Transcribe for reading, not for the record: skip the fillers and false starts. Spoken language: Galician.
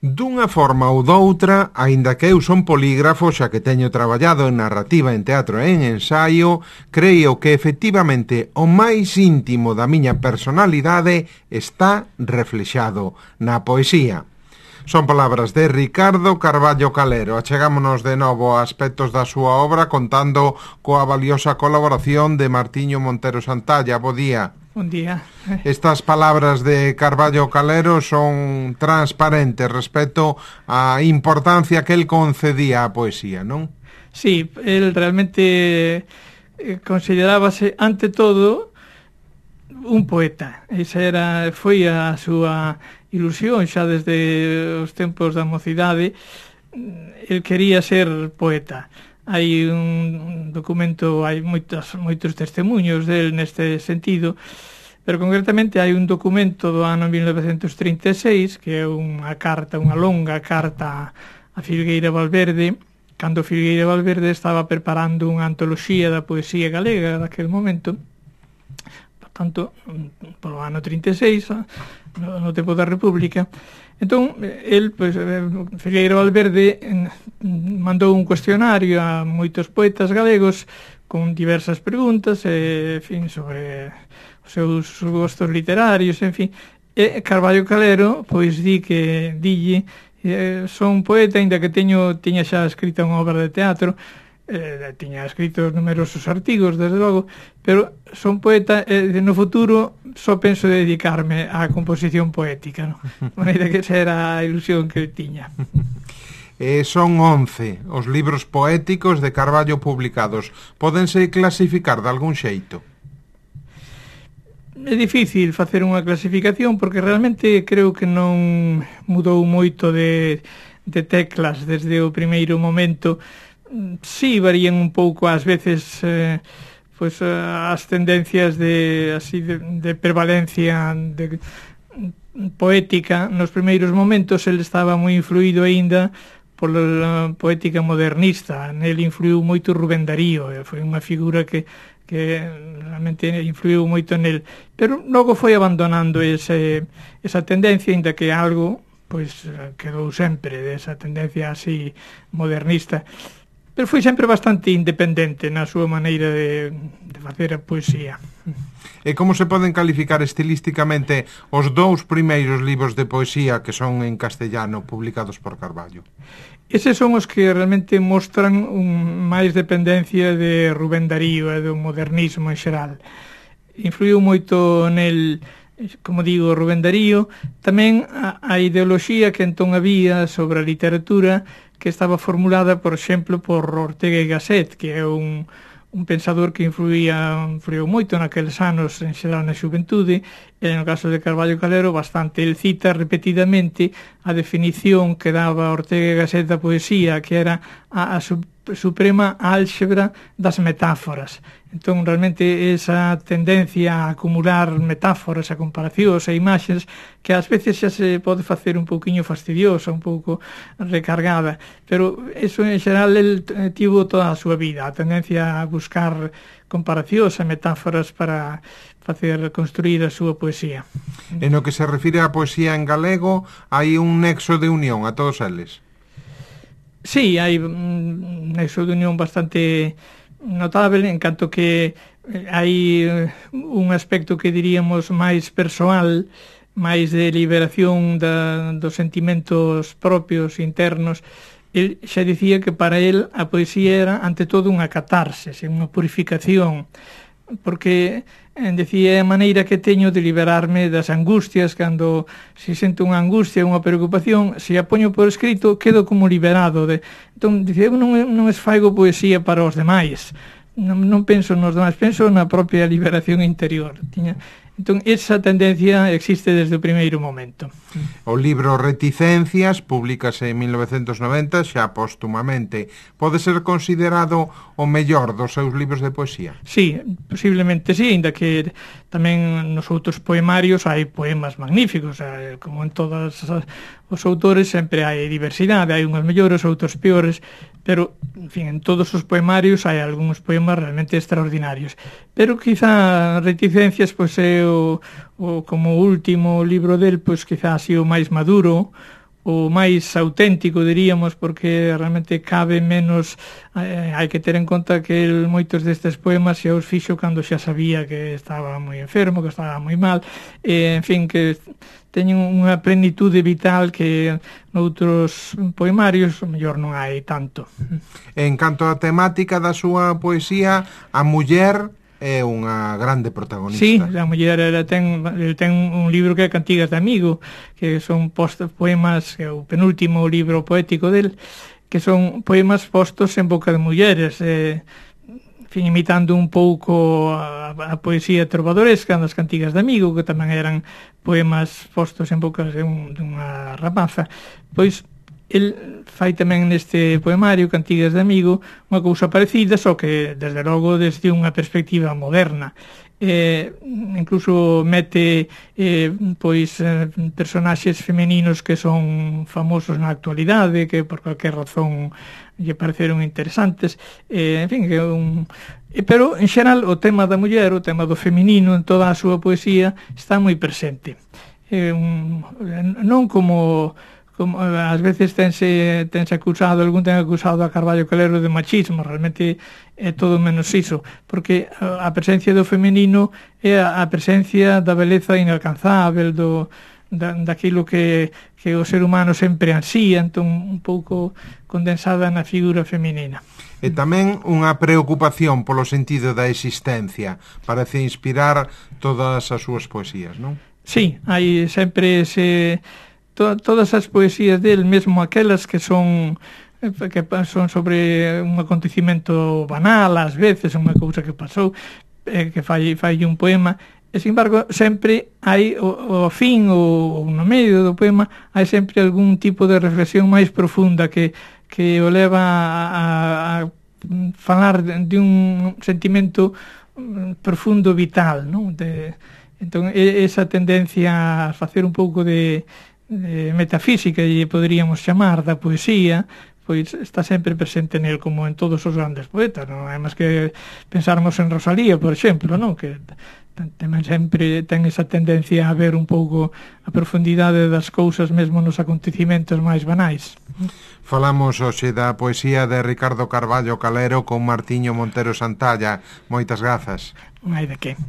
Dunha forma ou doutra, aínda que eu son polígrafo xa que teño traballado en narrativa, en teatro e en ensaio, creo que efectivamente o máis íntimo da miña personalidade está reflexado na poesía. Son palabras de Ricardo Carballo Calero. Achegámonos de novo a aspectos da súa obra contando coa valiosa colaboración de Martiño Montero Santalla. Bo día. Bon día. Estas palabras de Carballo Calero son transparentes respecto á importancia que el concedía á poesía, non? Sí, el realmente considerábase, ante todo, un poeta. Esa foi a súa ilusión xa desde os tempos da mocidade. El quería ser poeta. Hai un documento, hai moitos testemunhos del neste sentido, pero concretamente hai un documento do ano 1936 que é unha longa carta a Filgueira Valverde, cando Filgueira Valverde estaba preparando unha antoloxía da poesía galega daquele momento. Tanto polo ano 36, no tempo da República. Entón, el, Filgueira Valverde, mandou un cuestionario a moitos poetas galegos con diversas preguntas, en fin, sobre os seus gostos literarios, en fin. E Carballo Calero, pois, dille, son poeta, ainda que tiña xa escrita unha obra de teatro, tiña escrito numerosos artigos, desde logo, pero son poeta e no futuro só penso dedicarme á composición poética, non? Maneira que esa era a ilusión que tiña. Son 11 os libros poéticos de Carballo publicados. Pódense clasificar de algún xeito? É difícil facer unha clasificación porque realmente creo que non mudou moito de teclas desde o primeiro momento. Sí, varían un pouco ás veces as tendencias de prevalencia poética. Nos primeiros momentos el estaba moi influído aínda pola poética modernista. Nel influiu moito Rubén Darío, foi unha figura que realmente influiu moito nel, pero logo foi abandonando esa tendencia, aínda que algo pois quedou sempre desa tendencia así modernista. Pero foi sempre bastante independente na súa maneira de facer a poesía. E como se poden calificar estilísticamente os dous primeiros libros de poesía que son en castellano publicados por Carballo? Eses son os que realmente mostran máis dependencia de Rubén Darío e do modernismo en xeral. Influiu moito nel, como digo, Rubén Darío, tamén a ideoloxía que entón había sobre a literatura, que estaba formulada, por exemplo, por Ortega y Gasset, que é un pensador que influiu moito naqueles anos, en xeral na xuventude, e no caso de Carballo Calero bastante. El cita repetidamente a definición que daba Ortega y Gasset da poesía, que era a suprema álxebra das metáforas. Entón, realmente, esa tendencia a acumular metáforas, a comparacións e imaxes, que ás veces xa se pode facer un pouquiño fastidiosa, un pouco recargada, pero eso, en xeral, el tivo toda a súa vida, a tendencia a buscar comparacións e metáforas para facer construir a súa poesía. En o que se refire á poesía en galego, hai un nexo de unión a todos eles? Sí, hai un nexo de unión bastante notable, en canto que hai un aspecto que diríamos máis persoal, máis de liberación dos sentimentos propios, internos. El xa dicía que para el a poesía era, ante todo, unha catarsis, unha purificación, porque decía a maneira que teño de liberarme das angustias. Cando se sento unha angustia, unha preocupación, se a poño por escrito, quedo como liberado. Entón, dicía, eu non esfaigo poesía para os demais, non penso nos demais, penso na propia liberación interior. Entón, esa tendencia existe desde o primeiro momento. O libro Reticencias públicase en 1990, xa póstumamente. Pode ser considerado o mellor dos seus libros de poesía? Sí, posiblemente sí, ainda que tamén nos outros poemarios hai poemas magníficos, como en todos os autores sempre hai diversidade, hai unhos mellores, outros peores, pero, en fin, en todos os poemarios hai algúns poemas realmente extraordinarios. Pero quizá Reticencias pois é como o último libro del, pois quizá así o máis maduro, o máis auténtico, diríamos, porque realmente cabe menos, hai que ter en conta que el moitos destes poemas xa os fixo cando xa sabía que estaba moi enfermo, que estaba moi mal, en fin, que teñen unha plenitude vital que noutros poemarios o mellor non hai tanto. En canto á temática da súa poesía, a muller é unha grande protagonista. Sí, a muller ten un libro que é Cantigas de Amigo, que son poemas, que é o penúltimo libro poético del, que son poemas postos en boca de mulleres, fin, imitando un pouco a poesía trovadoresca das Cantigas de Amigo, que tamén eran poemas postos en boca dunha rapaza. Pois el fai tamén neste poemario Cantigas de Amigo unha cousa parecida, só que desde logo desde unha perspectiva moderna. Incluso mete personaxes femeninos que son famosos na actualidade, que por cualquier razón lle pareceron interesantes, en fin, pero en xeral o tema da muller, o tema do feminino en toda a súa poesía está moi presente, non como ás veces tense acusado, algún ten acusado a Carballo Calero de machismo, realmente é todo menos iso, porque a presencia do feminino é a presencia da beleza inalcanzável, daquilo que o ser humano sempre ansía, entón un pouco condensada na figura feminina. E tamén unha preocupación polo sentido da existencia, parece inspirar todas as súas poesías, non? Sí, hai sempre todas as poesías del, mesmo aquelas que son sobre un acontecimento banal, ás veces unha cousa que pasou, que fai un poema, e, sin embargo, sempre hai o fin ou no medio do poema hai sempre algún tipo de reflexión máis profunda que o leva a falar de un sentimento profundo vital, non? Entón, esa tendencia a facer un pouco de metafísica, lle poderíamos chamar, da poesía, pois está sempre presente nel, como en todos os grandes poetas, non? Además que pensarmos en Rosalía, por exemplo, non? Que tamén sempre ten esa tendencia a ver un pouco a profundidade das cousas mesmo nos acontecimentos máis banais. Falamos hoxe da poesía de Ricardo Carballo Calero con Martiño Montero Santalla. Moitas grazas. Non hai de que.